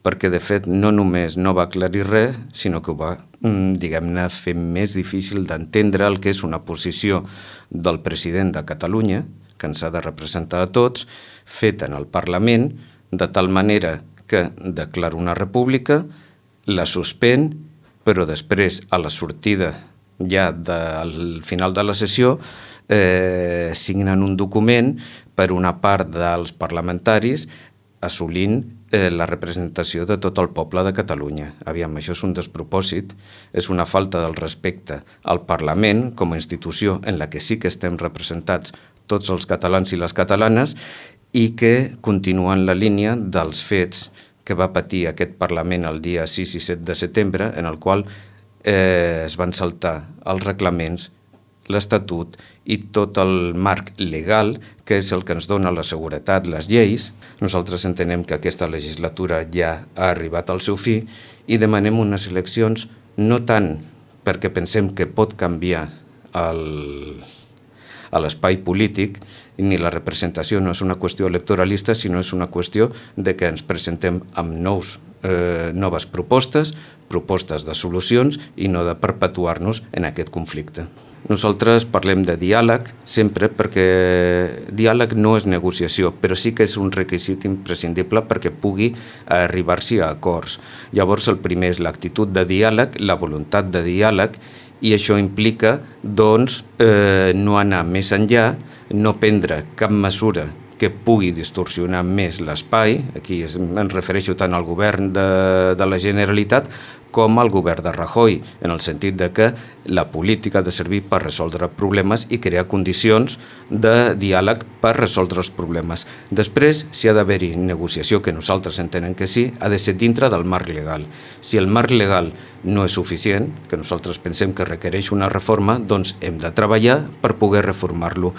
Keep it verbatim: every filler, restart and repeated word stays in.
perquè de fet no només no va aclarir res, sinó que ho va, diguem-ne, fer més difícil d'entendre el que és una posició del president de Catalunya, que ens ha de representar a tots, feta en el Parlament, de tal manera que declara una república, la suspèn, però després, a la sortida ja del final de la sessió, eh, signen un document per una part dels parlamentaris assolint eh, la representació de tot el poble de Catalunya. Aviam, això és un despropòsit, és una falta del respecte al Parlament com a institució en la que sí que estem representats tots els catalans i les catalanes i que continuen la línia dels fets que va patir aquest Parlament el dia sis i set de setembre, en el qual eh, es van saltar els reglaments, l'Estatut i tot el marc legal, que és el que ens dona la seguretat, les lleis. Nosaltres entenem que aquesta legislatura ja ha arribat al seu fi i demanem unes eleccions no tant perquè pensem que pot canviar el, a l'espai polític, ni la representació no és una qüestió electoralista, sinó és una qüestió de que ens presentem amb nous, eh, noves propostes, propostes de solucions i no de perpetuar-nos en aquest conflicte. Nosaltres parlem de diàleg sempre perquè diàleg no és negociació, però sí que és un requisit imprescindible perquè pugui arribar-s'hi a acords. Llavors el primer és l'actitud de diàleg, la voluntat de diàleg, i això implica doncs, eh, no anar més enllà, no prendre cap mesura que pugui distorsionar més l'espai, aquí es, em refereixo tant al govern de, de la Generalitat com al govern de Rajoy, en el sentit de que la política ha de servir per resoldre problemes i crear condicions de diàleg per resoldre els problemes. Després, si ha d'haver-hi negociació, que nosaltres entenem que sí, ha de ser dintre del marc legal. Si el marc legal no és suficient, que nosaltres pensem que requereix una reforma, doncs hem de treballar per poder reformar-lo.